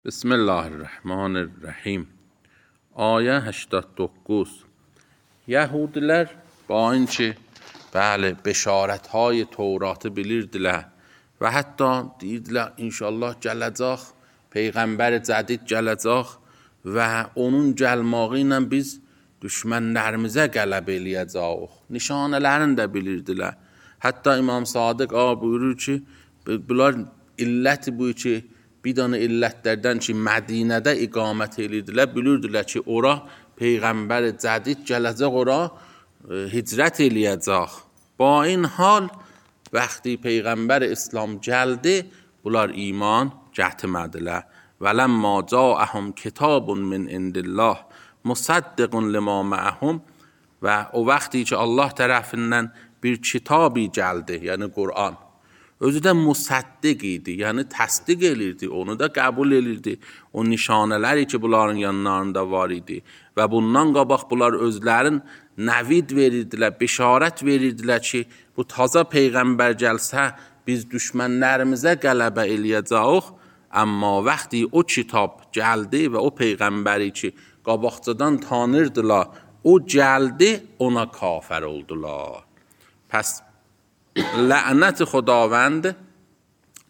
بسم الله الرحمن الرحیم. Ayə 89. Yəhudilər bayınçı bəşarətهای Tevratı bilirdilər və hətta deyirdilər inşallah gələcək peyğəmbər cədid gələcək və onun gəlməyi ilə biz düşmənlərimizə qələbə eləyəcəyik. Nişanələrini də bilirdilər. Hətta İmam Sadiq buyurur ki, bunlar illəti bu ki, bir dənə illətlərdən ki, Mədinədə iqamət edirdilər, bilirdilər ki, ora Peyğəmbər cədid gələcək, ora hicrət eləyəcək. Ba این hal, vəxti Peyğəmbər İslam gəldi, bunlar iman gətirmədilər. وَلَمَّا جَاءَهُمْ كِتَابٌ مِّنْ عِندِ اللَّهِ مُصَدِّقٌ لِمَا مَعَهُمْ və o vaxtı ki, Allah tərəfindən bir kitabı gəldi, yəni Qur'an. Özü də müsəddiq idi, yəni təsdiq elirdi, onu da qəbul elirdi. O nişanələri ki, bunların yanlarında var idi və bundan qabaq bunlar özlərin nəvid verirdilər, bişarət verirdilər ki, bu taza Peyğəmbər gəlsə, biz düşmənlərimizə qələbə eləyəcəyik. Amma vaxtı o kitab gəldi və o Peyğəmbəri ki, qabaqcadan tanırdılar, o gəldi, ona kafir oldular. Pəs lənət Xudavənd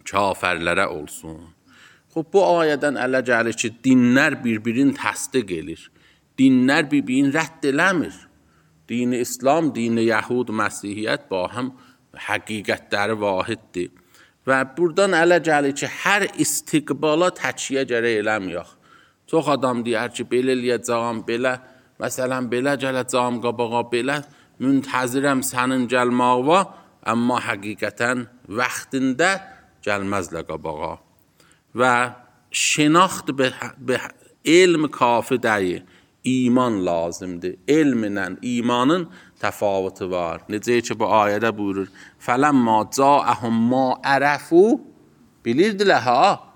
kafirlərə olsun. Bu ayədən ələ gəlir ki, dinlər bir-birini təsdiq edir. Dinlər bir-birini rədd eləmir. Dini İslam, dini Yəhud, Məsihiyyət ba həm həqiqətləri vahiddir. Və buradan ələ gəlir ki, hər istiqbala təkiyyə gərək eləməyək. Çox adam deyər ki, belə eləyəcəyəm, belə, məsələn, belə gələcəyəm qabağa, belə müntəzirəm sənin gəlməyə, amma həqiqətən vaxtında gəlməzlər qabağa. Və şinaxt be elm kafi deyil, iman lazımdır. Elmlə imanın təfavütü var. Necə ki, bu ayədə buyurur, فَلَمَّا جَاءَهُمْ مَا عَرَفُوا bilirdilər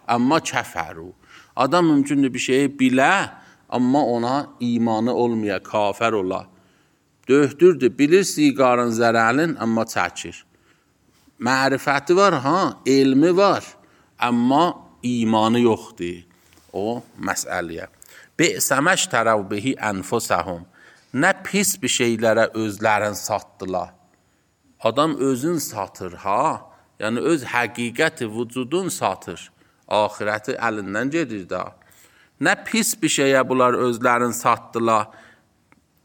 amma kəfəru. Adam mümkündür bir şeyi bilə, amma ona imanı olmaya, kafir ola. Döhdürdür, bilir siqarın zərəlin, amma çəkir. Mərifəti var, elmi var, amma imanı yoxdur. O məsələyə. Bi'səməş tərəv bihi ənfusəhum. Nə pis bir şeylərə özlərini satdılar. Adam özün satır, yəni öz həqiqəti, vücudun satır. Ahirəti əlindən gedir da. Nə pis bir şeyə bunlar özlərini satdılar.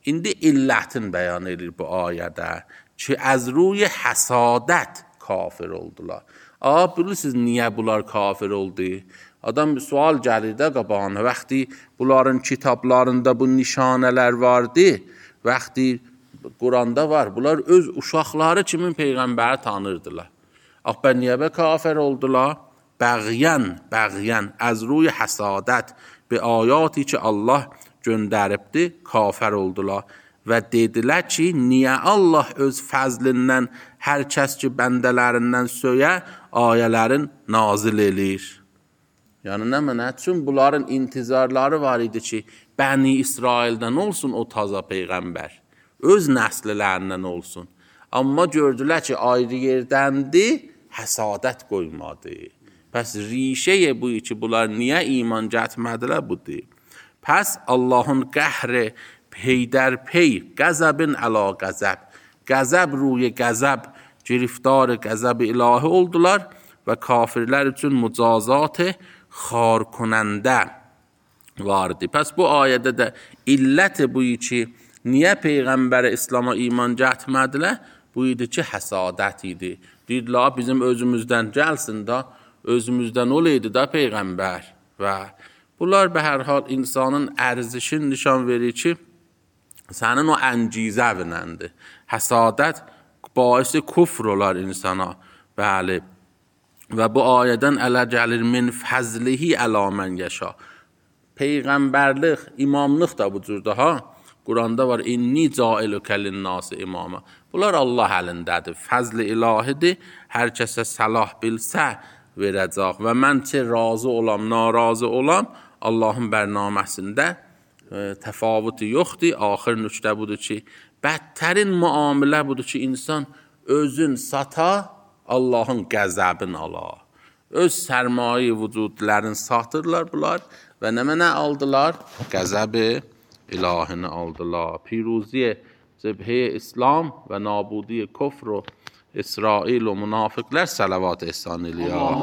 İndi illətin bəyan edir bu ayədə ki, az ruy həsadət kafir oldular. Bilirsiniz niyə bunlar kafir oldu? Adam bir sual gəlir də qabağına. Vaxtı bunların kitablarında bu nişanələr vardı. Vaxtı Quranda var. Bunlar öz uşaqları kimin Peyğəmbəri tanırdılar. Niyə kafir oldular? Bəğyən, az ruy həsadət bi ayati ki, Allah göndəribdi, kafir oldular və dedilər ki, niyə Allah öz fəzlindən hər kəs ki, bəndələrindən söyə, ayələrin nazil elir. Yəni, nə mənə? Çünki bunların intizarları var idi ki, Bəni İsraildən olsun o taza Peyğəmbər, öz nəslilərindən olsun. Amma gördülər ki, ayrı yerdəndir, həsadət qoymadı. Pəs rişəyə bu ki, bunlar niyə iman gətirmədilər budur. Pəs Allahın qəhrə peydərpey, qəzəbin əla qəzəb, qəzəb ruy qəzəb, giriftar qəzəb ilahi oldular və kafirlər üçün mücazat xar konəndə vardı. Pəs bu ayədə də illət bu ki, niyə Peyğəmbər İslam'a iman gətirmədilər? Bu idi ki, həsadət idi. Deyirlər, bizim özümüzdən gəlsin da, özümüzdən olaydı da Peyğəmbər. Və bunlar be hər hal insanın ərzişini nişan verir ki, sənin o əncizə binəndir. Həsadət baisi kufr olar insana. Bəli. Və bu ayədən ələ gəlir min fəzlihi əla mən yaşa. Peyğəmbərlik, imamlıq da bu cürdə Quranda var, inni cailükə linnası imama. Bunlar Allah əlindədir. Fəzli ilahidir. Hər kəsə səlah bilsə verəcək. Və mən ki, razı olam, narazı olam, Allahın bərnaməsində təfavütü yoxdur. Axır nüqtə budur ki, bədtərin müamilə budur ki, insan özün sata, Allahın qəzəbini ala. öz sərmaye vücudlarını satırlar bunlar və nə aldılar? Qəzəb ilahini aldılar. Piruzi cebhe İslam və nabudi kufr و İsrail و منافقlər salavat ehsan eləyər.